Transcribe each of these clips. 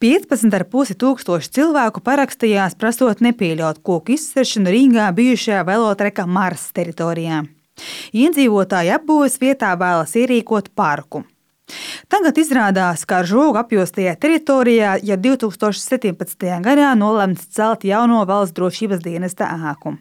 15,5 tūkstoši cilvēku parakstījās prasot nepieļaut koku izciršanu Rīgā bijušajā velotreka Mars teritorijā. Iedzīvotāji apbūves vietā vēlas ierīkot parku. Tagad izrādās, ka ar žogu apjostajā teritorijā jau 2017. gadā nolemts celt jauno valsts drošības dienesta ēku.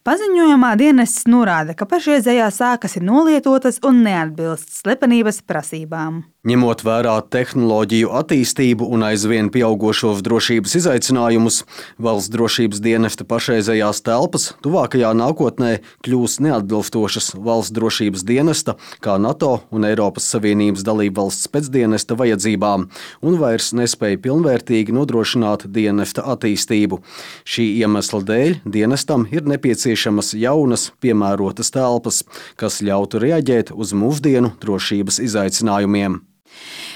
Paziņojumā dienests norāda, ka pašreizējās ēkas ir nolietotas un neatbilst slepenības prasībām. Ņemot vērā tehnoloģiju attīstību un aizvien pieaugošos drošības izaicinājumus, valsts drošības dienesta pašreizējās telpas tuvākajā nākotnē kļūs neatbilstošas valsts drošības dienesta, kā NATO un Eiropas Savienības dalībvalsts pēcdienesta vajadzībām un vairs nespēja pilnvērtīgi nodrošināt dienesta attīstību. Šī iemesla dēļ dienestam ir nepieciešamas jaunas, piemērotas telpas, kas ļautu reaģēt uz mūsdienu drošības izaicinājumiem.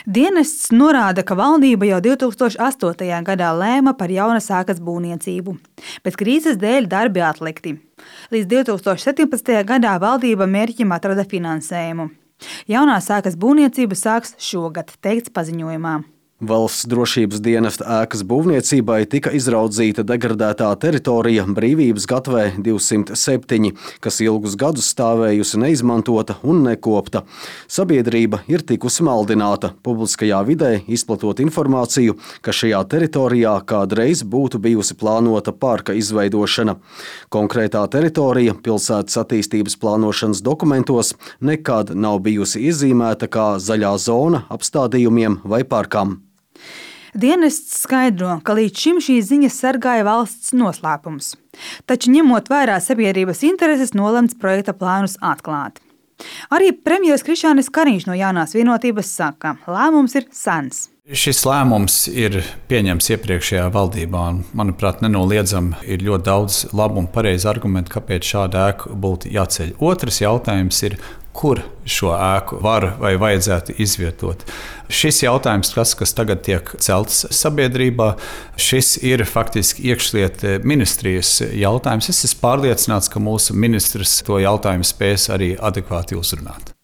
Dienests norāda, ka valdība jau 2008. gadā lēma par jaunas ēkas būvniecību, bet krīzes dēļ darbi atlikti. Līdz 2017. gadā valdība mērķim atrada finansējumu. Jaunās ēkas būvniecība sāks šogad, teikts paziņojumā. Valsts drošības dienesta ēkas būvniecībai tika izraudzīta degradētā teritorija Brīvības gatvē 207, kas ilgus gadus stāvējusi neizmantota un nekopta. Sabiedrība ir tikusi maldināta publiskajā vidē, izplatot informāciju, ka šajā teritorijā kādreiz būtu bijusi plānota parka izveidošana. Konkrētā teritorija pilsētas attīstības plānošanas dokumentos nekad nav bijusi iezīmēta kā zaļā zona apstādījumiem vai parkam. Dienests skaidro, ka līdz šim šīs ziņas sargāja valsts noslēpums, taču ņemot vērā sabiedrības intereses nolemts projekta plānus atklāt. Arī premjeras Krišjānis Kariņš no Jaunās vienotības saka, lēmums ir sens. Šis lēmums ir pieņemts iepriekšējā valdībā, un, manuprāt, nenoliedzami ir ļoti daudz labu un pareizu argumentu, kāpēc šāda ēka būtu jāceļ. Otrs jautājums ir, kur šo ēku var vai vajadzētu izvietot. Šis jautājums, kas tagad tiek celts sabiedrībā, šis ir faktiski iekšlietu ministrijas jautājums. Es esmu pārliecināts, ka mūsu ministrs to jautājumu spēs arī adekvāti uzrunāt.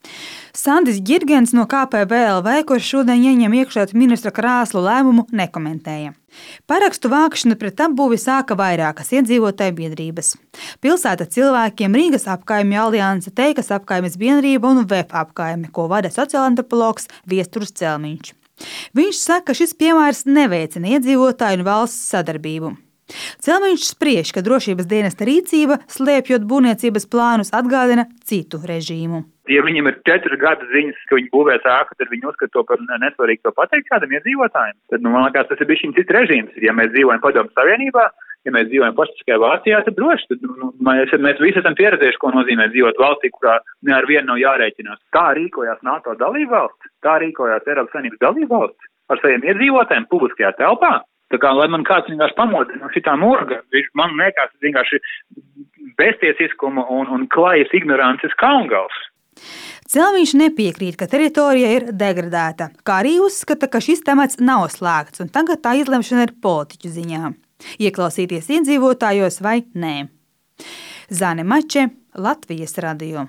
Sandis Girgens no KPVLV, kurš šodien ieņem iekšlietu ministra krēslu lēmumu, nekomentēja. Parakstu vākšanu pret apbūvi sāka vairākas iedzīvotāju biedrības. Pilsēta cilvēkiem, Rīgas apkaimju alianse, Teikas apkaimes biedrība un VEF apkaime, ko vada sociālantropologs Viesturs Celmiņš. Viņš saka, ka šis piemērs neveicina iedzīvotāju un valsts sadarbību. Celmiņš spriež, ka drošības dienesta rīcība, slēpjot būvniecības plānus, atgādina citu režīmu. Ja viņiem ir 4 gadu ziņas, ka viņi būvēs ēku, tad viņi uzskata to par nesvarīgi to pateikt kādam iedzīvotājiem. Tad, man liekas, tas ir bijis cits režīms. Ja mēs dzīvojam Padomju Savienībā, ja mēs dzīvojam paštiskajā Vācijā, tad droši. Tad mēs visi esam pieredzējuši, ko nozīmē dzīvot valstī, kurā ar vienu nav jārēķinās. Tā rīkojās NATO dalībvalsts, tā rīkojās Eiropas Savienības dalībvalsts ar saviem iedzīvotājiem publiskajā telpā. Tā kā, lai man kāds vienkārši pamodina no šitā morga, man liekas vienkārši beztiesiskuma un klajas ignorances kaungals. Celmiņš nepiekrīt, ka teritorija ir degradēta, kā arī uzskata, ka šis temats nav slēgts un tagad tā izlemšana ir politiķu ziņā. Ieklausīties iedzīvotājos vai nē. Zane Mače, Latvijas radio.